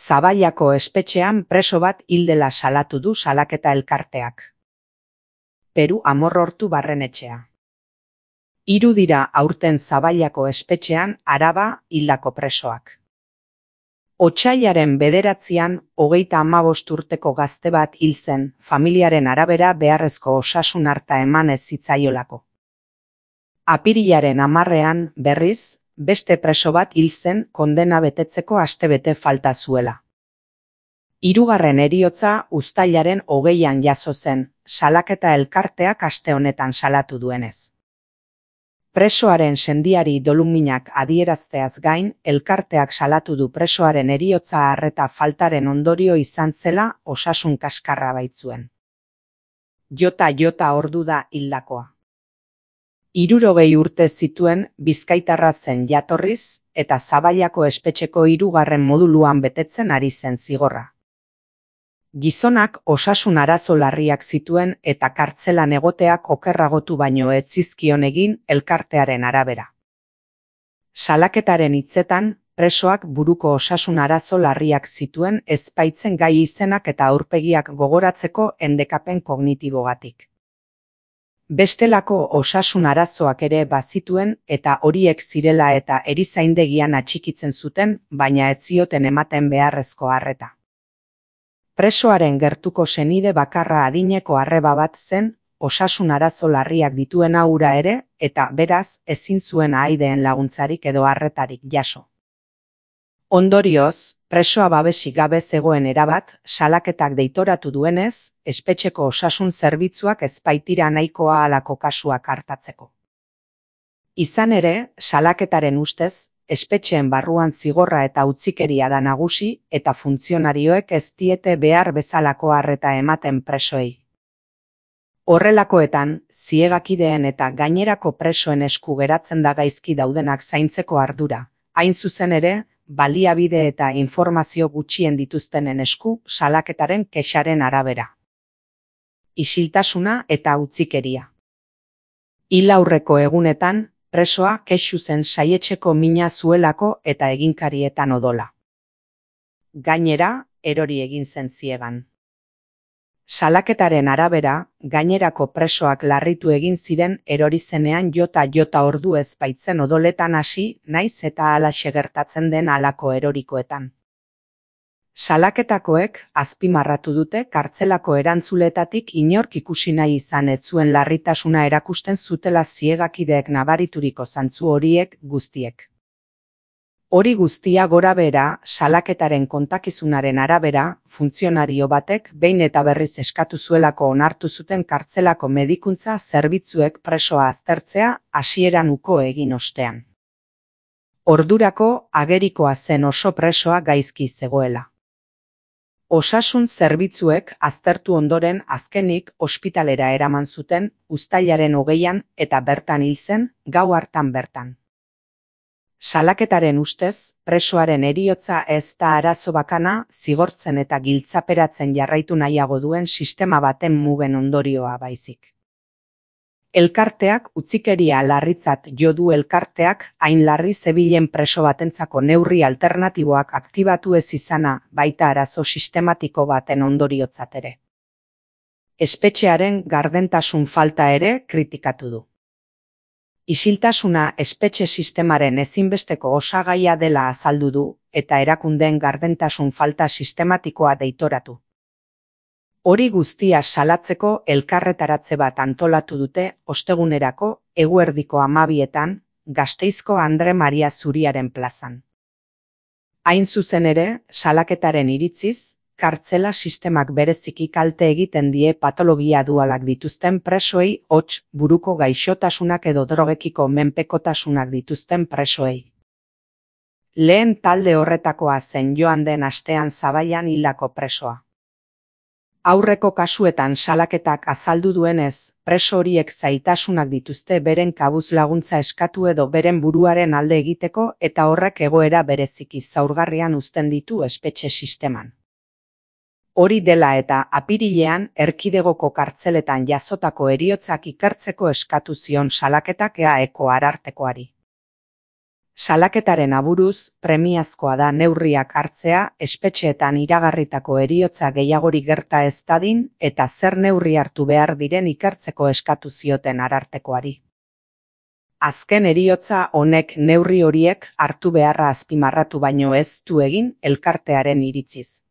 Zaballako espetxean preso bat hil dela salatu du salaketa elkarteak. Peru Amorrortu barrenetxea. 3 dira aurten Zaballako espetxean Araba hildako presoak. Otsailaren 9an 35 urteko gazte bat hil zen, familiaren arabera beharrezko osasun arta eman ez zitzaiolako. Apirilaren 10ean, berriz, beste preso bat hil zen kondena betetzeko astebete falta zuela. 3. heriotza uztailaren 20an jazo zen, salaketa elkarteak aste honetan salatu duenez. Presoaren sendiari doluminak adierazteaz gain, elkarteak salatu du presoaren heriotza arreta faltaren ondorio izan zela osasun kaskarra baitzuen. Jota ordu da hildakoa. 60 urte zituen Bizkaitarra zen jatorriz eta Zaballako espetxeko 3. moduluan betetzen ari zen zigorra. Gizonak osasun arazo larriak zituen eta kartzelan egoteak okerragotu baino ez zizkion egin elkartearen arabera. Salaketaren hitzetan, presoak buruko osasun arazo larriak zituen ezbaitzen gai izenak eta aurpegiak gogoratzeko endekapen kognitibogatik. Bestelako osasun arazoak ere bazituen eta horiek zirela eta erizaindegian atxikitzen zuten, baina ez zioten ematen beharrezko arreta. Presoaren gertuko senide bakarra adineko arreba bat zen, osasun arazo larriak dituena hura ere, eta beraz ezin zuen ahaideen laguntzarik edo arretarik jaso. Ondorioz, presoa babesik gabe zegoen erabat, salaketak deitoratu duenez, espetxeko osasun zerbitzuak ez baitira nahikoa halako kasuak artatzeko. Izan ere, salaketaren ustez, espetxeen barruan zigorra eta utzikeria da nagusi eta funtzionarioek ez diete behar bezalako arreta ematen presoei. Horrelakoetan, ziegakideen eta gainerako presoen esku geratzen da gaizki daudenak zaintzeko ardura, hain zuzen ere, baliabide eta informazio gutxien dituztenen esku salaketaren kexaren arabera. Isiltasuna eta utzikeria. Hil aurreko egunetan, presoa kexu zen saietxeko mina zuelako eta eginkarietan odola. Gainera, erori egin zen ziegan. Salaketaren arabera, gainerako presoak larritu egin ziren erori zenean jota ordu ez baitzen odoletan hasi, naiz eta halaxe gertatzen den halako erorikoetan. Salaketakoek azpimarratu dute kartzelako erantzuletatik inork ikusi nahi izan ez zuen larritasuna erakusten zutela ziegakideek nabarituriko zantzu horiek guztiek. Hori guztia gorabehera, salaketaren kontakizunaren arabera, funtzionario batek behin eta berriz eskatu zuelako onartu zuten kartzelako medikuntza zerbitzuek presoa aztertzea hasieran uko egin ostean. Ordurako agerikoa zen oso presoa gaizki zegoela. Osasun zerbitzuek aztertu ondoren azkenik ospitalera eraman zuten uztailaren 20an eta bertan hil zen gau hartan bertan. Salaketaren ustez, presoaren heriotza ez da arazo bakana zigortzen eta giltzaperatzen jarraitu nahiago duen sistema baten mugen ondorioa baizik. Elkarteak utzikeria larritzat jo du elkarteak hain larri zebilen preso batentzako neurri alternatiboak aktibatu ez izana baita arazo sistematiko baten ondoriotzat ere. Espetxearen gardentasun falta ere kritikatu du. Isiltasuna espetxe sistemaren ezinbesteko osagaia dela azaldu du eta erakundeen gardentasun falta sistematikoa deitoratu. Hori guztia salatzeko elkarretaratze bat antolatu dute ostegunerako eguerdiko 12etan Gasteizko Andre Maria Zuriaren plazan. Hain zuzen ere, salaketaren iritziz, kartzela sistemak bereziki kalte egiten die patologia dualak dituzten presoei hots buruko gaixotasunak edo drogekiko menpekotasunak dituzten presoei. Lehen talde horretakoa zen joan den astean Zaballan hildako presoa. Aurreko kasuetan salaketak azaldu duenez, preso horiek zailtasunak dituzte beren kabuz laguntza eskatu edo beren buruaren alde egiteko eta horrek egoera bereziki zaurgarrian uzten ditu espetxe sisteman. Hori dela eta apirilean erkidegoko kartzeletan jasotako heriotzak ikertzeko eskatu zion salaketak EAEko arartekoari. Salaketaren aburuz, premiazkoa da neurriak hartzea espetxeetan iragarritako heriotza gehiagori gerta ez dadin eta zer neurri hartu behar diren ikertzeko eskatu zioten Arartekoari. Azken heriotza honek neurri horiek hartu beharra azpimarratu baino ez du egin elkartearen iritziz.